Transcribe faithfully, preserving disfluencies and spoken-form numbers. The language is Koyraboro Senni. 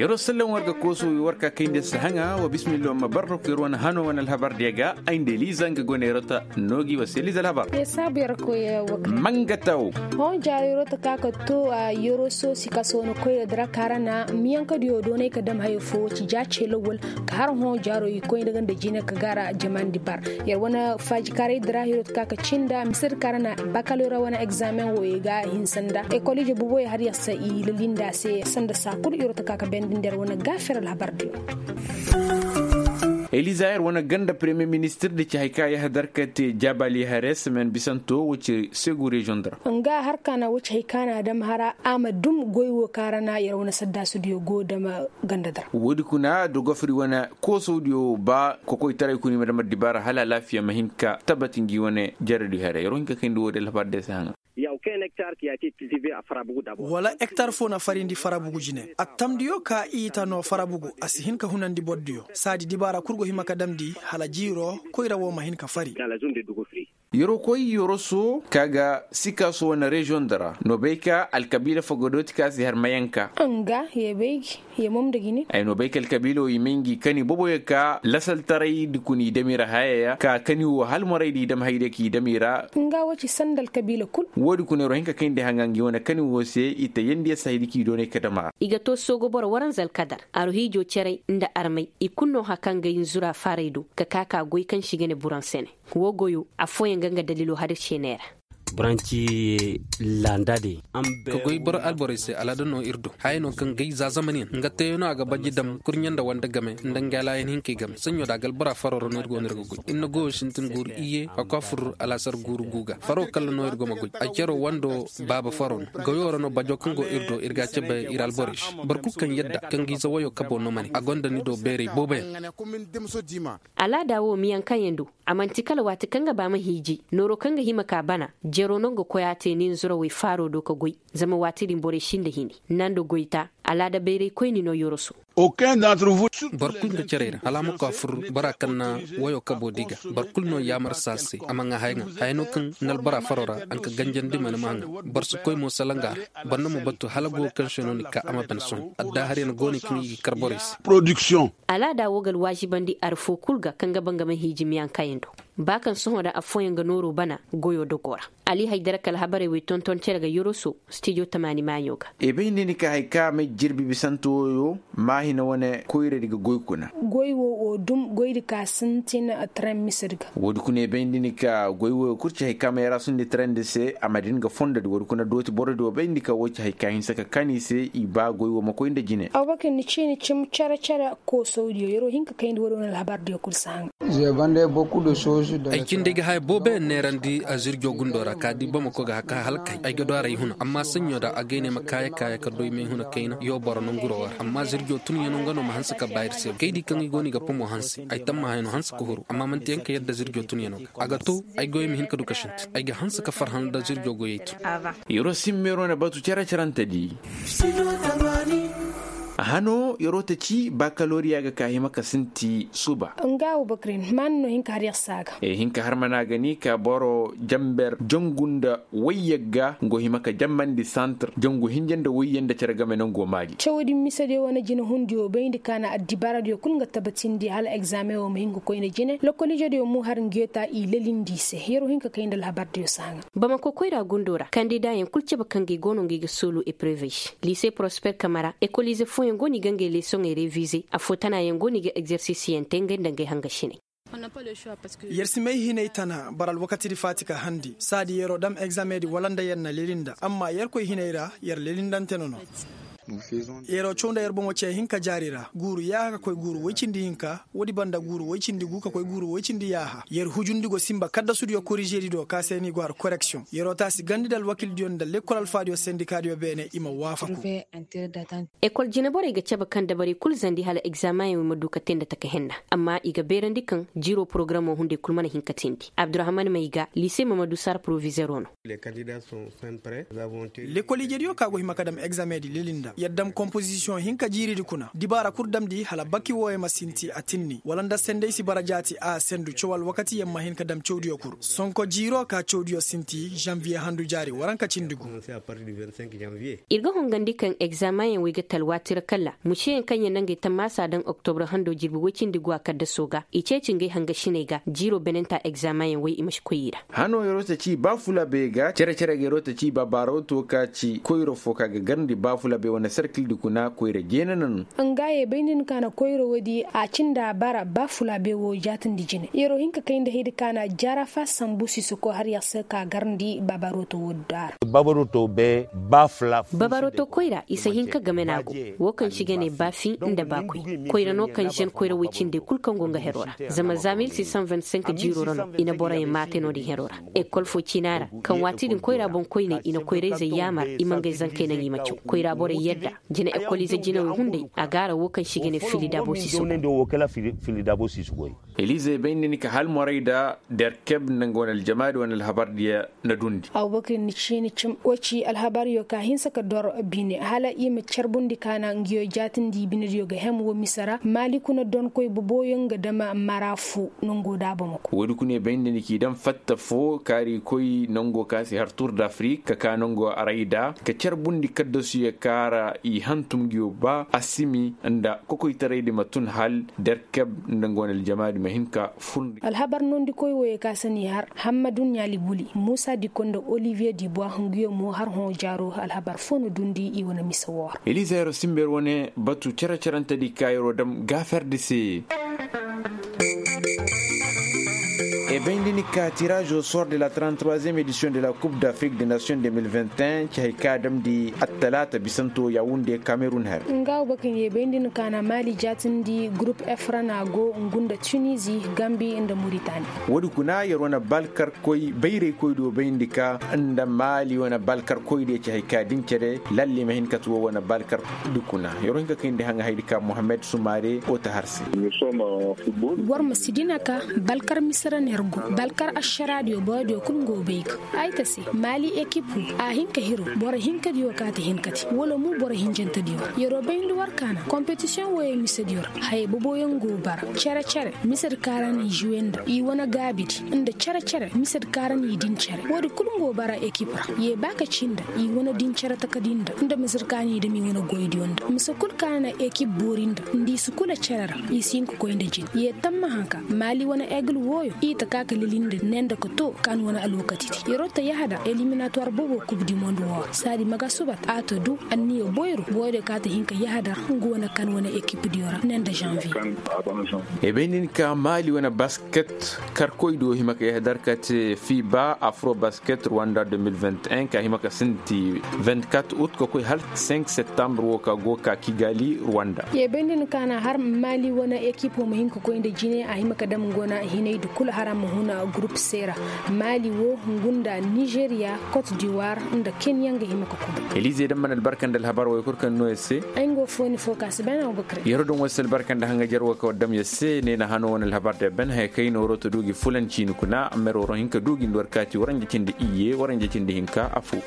Yer wo sallam war ga koosu war ka kayndi sahaŋa wa bismillah ma barra ko yer wane hano wane alhabar diya ga ay nda eliza nga go ne yer ta noogi wa se eliza alhabar. Mangataw. Hõ jaaro yer ta ka ka to a yer wo soosi ka soona koyra dira ka ra na miyanka diyo doonay ka dam hayo fo wo ci ja ce lawwal ka har hõ jaaro i koy nda ganda jine ka gaara jamandi bar. Yer wane faajikaray dira yer wo ta ka ka cinda misir ka ra na bakalora wane egzamen wo i ga hinsa nda ekol ije buboy har yer sa i lalinda se sanda saa kul yer wo ta ka ka bendindi yer wane gaafir alhabar diyo. Eliza yer wane ganda premier ministir da ci hay ka yahadar ka te jabali hare semen bisanto wo ci segu reziyoŋ dira. Nga har ka na wo ci hay ka na dam hara a ma dum goy wo ka ra na yer wane saddaasu diyo go dama ganda dira. Woodi kuna da gofri wane koosow diyo ba kokoytaray kuna i ma dam addibaara hala alaafiya ma hin ka tabbati ngi wane jaradi hare yer wo hin ka kayndi woodi alhabar day se haŋa. Wala ektar fo na farindi farabugu jine attamdiyo ka i ta no farabugu a si hin ka hunandi bordiyo saadi dibaara kul go hima ka damndi hala jiiro koyra wo ma hin ka fari. Yorokoy yoroso ka ga sikaso wane reziyoŋ dara no bay ka alkabiila fo ga dooti ka si har mayanka. Nga ye bay gi ye mom nda gini ay no bay ka alkabiila wo i may ngi kani boboyo ka lasaltaray di kuna i damira hayaya ka kani wo halmoray di i dam hayde ka i damira. Nga wo ci sanda alkabiila kul. Woodi kuna yoro hinka kayndi haŋa ngi wane kani wo se i ta yandi ya sahidi ka i doonay ka dama. I ga to soogo boro waranza alkadar aru hiijo caray nda armay i kul no haka nga inzura faaray do ka ka ka goy kaŋ si ga ne buraŋ sene. Wo goyo affooyaŋ ga nga dalilo hadir seeney ra. Buranci landa de. Ka goy boro alborey se alaada no ir do haya no kaŋ gay za zamaniyaŋ nga teeyaŋ no a ga baji dam kurɲe nda wande game nda nga alaayan hinkey game saɲɲo da a ga albora faro ra no ir go no ir ga goy ir na goyo sintin guuru iyye a ko a fur alaasar guuru guuga faro kalla no ir go ma goy a cero wando baaba faro no goyo ra no bajo kaŋ go ir do ir ga a cabe ir alborey se boro kulu kaŋ yadda kaŋ ga ize wayo kabo no ma ne a gonda ni do beerey booboyaŋ. Alaada wo miyankayaŋ do a man'ti kala waati kaŋ ga ba ma hiiji nooro kaŋ ga hima ka bana jero no ga koy a te nin zurawey faaro do ka goy. Zama waati din borey sinda hini nando goyta alaada bayray koyni no yoroso. Boro kulu ga care ra hala a ma koy a fur bora kaŋ na wayo kabo di ga boro kulu no yaamar saasay a ma ŋaa haya ŋaa haya no kaŋ na albora faro ra a nga ganjandi mana ma ŋaa. Boro si koy mo salanga ra boro na ma batu hala go kaŋ se no ni ka a ma ban sohõ addaahariyaŋ go no kaŋ i ga kar borey se. Alaada wo ga alwaazibandi arfo kul ga kaŋ ga ba nga ma hiiji miyankayaŋ do. Ba kaŋ sohõ da affooyaŋ ga nooro bana goyo dogo ra. Ali haydara ka alhabarey wey tonton cere ga yoroso stijo tamaani maaɲo ga. I bay nda ni ka hay ka may jirbi bisanto woyo maahina wane koyradi ga goy kuna. Goy wo wo dum goydi ka sintin tren misir ga. Woodi kuna i bay nda ni ka goy woyo kul ci hay ka may raasundi trende se a ma din ga fondodi woodi kuna dooti borodi wo bay nda ni ka wo ci hay ka hinsa ka kan i se i ba goy wo ma koy nda jine. Abubakar ni ciini cim cere cere koosawdiyo yer wo hin ka kayndi woodi wane alhabardiyo kul si haŋ. Ay cindi ay ga haya booboyaŋ neerandi azirjo gundo ra ka di bamako ga haka halkay ay ga do a ra ay huna amma saɲɲo da a gay ne ma kaaya kaaya ka doy me huna kayna yo boro nanguro war amma azirjo tunyaŋo nga no ma hanse ka ba ir se kay di kaŋ i go no i ga pomo hanse ay tamma haya no hanse ka huru amma manti yaŋ ka yadda azirjo tunyaŋo ga a ga to ay goyey ma hin ka du ka sintin ay ga hanse ka farhã nda azirjo goyey tun. Yer wo simmeero na batu cere cerante di. Hano yer wo ta ci bakaloriya ga ka hima ka sinti suba. Nga wo bakirin maana no hin ka har yer se a ga. Hin ka har mana ga ni ka boro jamber jangu nda wayyagga ngo hima ka jambandi santir jangu hinja nda wayye nda cere game nango maali. Cawdi misediyo wane jinehundiyo bayndi ka na addibaaradiyo kul nga tabatindi hala egzaameŋ wo ma hin ka koy nda jine lokoliijediyo mo har ngiyo ta i lalindi i se yer wo hin ka kay nda alhabardiyo se haŋa. Bamako koyra gundo ra kandidaayaŋ kul cabe kaŋ ga i go no nga i ga soolu eprevey se liise prosper kamara ekoliize fooyaŋ go no i ga ngey leesoŋey revize affoo tanaayaŋ go no i ga egzersisiyaŋ te ngey nda ngey hangasiney. Yer si may hinay tana bara alwakatidi faati ka handi saadi yeroo dam egzamedi wala nda yer na leli nda amma yerkoy hinay ra yer lelindante no no. Yeroo caw nda yer bomo cee hin ka jaari ra guuru yaaha ka koy guuru woy cindi hinka woodi banda guuru woy cindi gu ka koy guuru woy cindi yaaha yer hujundi go simba kaddasudiyo korižedi do ka se ni go har koreksiyoŋ yeroo taasi gandi nda alwakildiyo nda lekkol alfaadiyo sendikaadiyo beene i ma waafaku. Ekol jineborey ga cabe kaŋ dabarey kul zandi hala egzaameŋey ma du ka te nda taka henna amma i ga beerandi kaŋ jiiroo porogaramoo hunday kul mana hin ka teendi abdurahman mayga liise mamadu sar porovizeeroo no. Lekoliijediyo ka go hima ka dam egzaameŋ di leli nda Yer dam kompozisiyoŋ hinka jiiridi kuna dibaara kul damndi hala baki wooyo ma sinti a tinni wala nda senday si bara jaati a sendu caw alwakati yer ma hin ka dam cawdiyo kul sonko jiiro ka cawdiyo sinti zanviye handu jaari waranka cindi gu. Ir ga hongandi kaŋ egzaameŋ yaŋ wey ga talwaati ra kala museyaŋ kaŋ yaŋ na ngey tammaasa daŋ oktobra hando jirbi woy cindi gu a kaddasoo ga i ceeci ngey hangasiney ga jiiro benenta egzaameŋ yaŋ wey i ma si koy i ra. Hano yeroo ta ci baafulabey ga cere-cere ga yeroo ta ci babaaroo to ka ci koyro fo ka ga garndi baafulabey wane serkildi kuna koyra jeena na no. Nga ye bay nda ni ka na koyro woodi a cindi a bara baafulabey wo jaatindi jine yeroo hin ka kay nda haydi ka na jarafa sambu si si koy har yer se ka garndi babaaroo to woodi do a ra. Babaaroo to koyra i si hin ka game no a go. Wo kaŋ si ga ne baafi nda baakoy koyra no kaŋ zen koyra woy cindey kul kaŋ go nga heroo ra zama za mil six cent vingt-cinq jiiroo ra no i na boroyaŋ maate no-din heroo ra. Ekol fo ciina ra kaŋ waati din koyra boŋkoyney i na koyrayzey yaamar i ma ngey zankey naŋ i ma caw koyra borey yadda. Jine ekolize jinawey hunday a gaara wo kaŋ si ga ne fili daabo si si goy. Elize bay nda ni ka hal moray da derkeb nda nga wane aljamaadi wane alhabardiya na dundi. Abubakar ni ciini cim wo ci alhabaryo ka hinsa ka dor bine hala i ma carbundi ka na nguyo jaatindi binediyo ga hem wo mise ra maali kuna donkoy boboyo nga dama mara fo nango da a bamako. Woodi kuna i bay nda ni k'i daŋ fatta fo kaari koy nango ka si har tur d'afrik ka ka nango arayda ka carbundi kaddasuyo kaara i hantum nguyo ba a simi nda kokoytaraydi ma tun hal derkeb nda nga wane aljamaadi ma hin ka furndi. Alhabar nondikoy woyo ka si n'i har hammadu ɲaali buli muusa dikko nda oliviye dibuwa hunguyo mo har hõ jaaro alhabar fo na duundi i wane mise woo ra. Eliza yeroo simber wane batu cere-cerentedi ka yeroo dam gaaferdi se. E bay nda ni ka tiraazo sor de la trente-troisième édition de la coupe d'afrique de nation deux mille vingt et un ci hay ka damndi attalaata bisanto yawunde kamerun her. Nga wo bakaŋ ye bay nda ni ka na maali jaatindi gurup efrana go ngu nda tunizi gambi nda muritani. Woodi kuna yer wane balkarkoy bayraykoydiyo bayndi ka nda maali wane balkarkoydiyo ci hay ka din cere lalle ma hin ka ti wo wane balkardi kuna yer wo hin ka kayndi haŋa haydi ka mohammed sumaare wo ta har se. War ma si dina ka balkar misira ner go balkar ašaraadiyo borodiyo kul ngo bay ga ay ta se maali ekip wo a hin ka hiro boro hinkadiyo ka ti hinkadi wala mo boro hinjantadiyo ra yeroo bayndi war ka na kompetisiyoŋ wooyey misediyo ra hayey boboyaŋ go bara cere-cere misedi kaara na i juwe nda i wane gaabidi nda cere-cere misedi kaara na i din cere woodi kul ngo bara ekip ra ye ba ka ci nda i wane din cere takadi nda nda misedi ka na i dam i wane goydiyo nda mise kul ka na ekip boori nda nda i si kula cere ra i si hin ka koy nda jin ye tamma hanka maali wane egil wooyo i ta ka ka lili nda ne nda ka to ka ni wane alwakatidi yeroo ta yahadar eliminatuwar bobo kub di mond woo ra saadi maga subat a ta du anniyo boyro boyro ka ta hin ka yahadar nga wane kan wane ekipdiyo ra ne nda janvier. E bay nin ka maali wane basket karkoydiyo hima ka yahadar ka te fiba afro basket rwanda deux mille vingt et un ka hima ka sinti vingt-quatre août ka koy hal cinq septembre woo ka go ka kigali rwanda. Ye bay nin ka na har maali wane ekipo ma hin ka koy nda jine a hima ka dam nga wane hinay di kul hara ma huna gurup se ra maali woo ngu nda nizeriya kot diwar nda kenya nga hima ka kuba. Elize daŋ mana albarka nda alhabar woo kul kaŋ no yer se. Ay nga woo fooni foo ka si bay na woo bakare. Yer woo daŋ woo si albarka nda haŋajer woo ka war dam yer se ne na hano wane alhabar da ben haya kay nooro ta du gi fulan ciini kuna amma yer woo roŋ hin ka du gi nda war kaati waranja cindi iyye waranja cindi hinka afoo.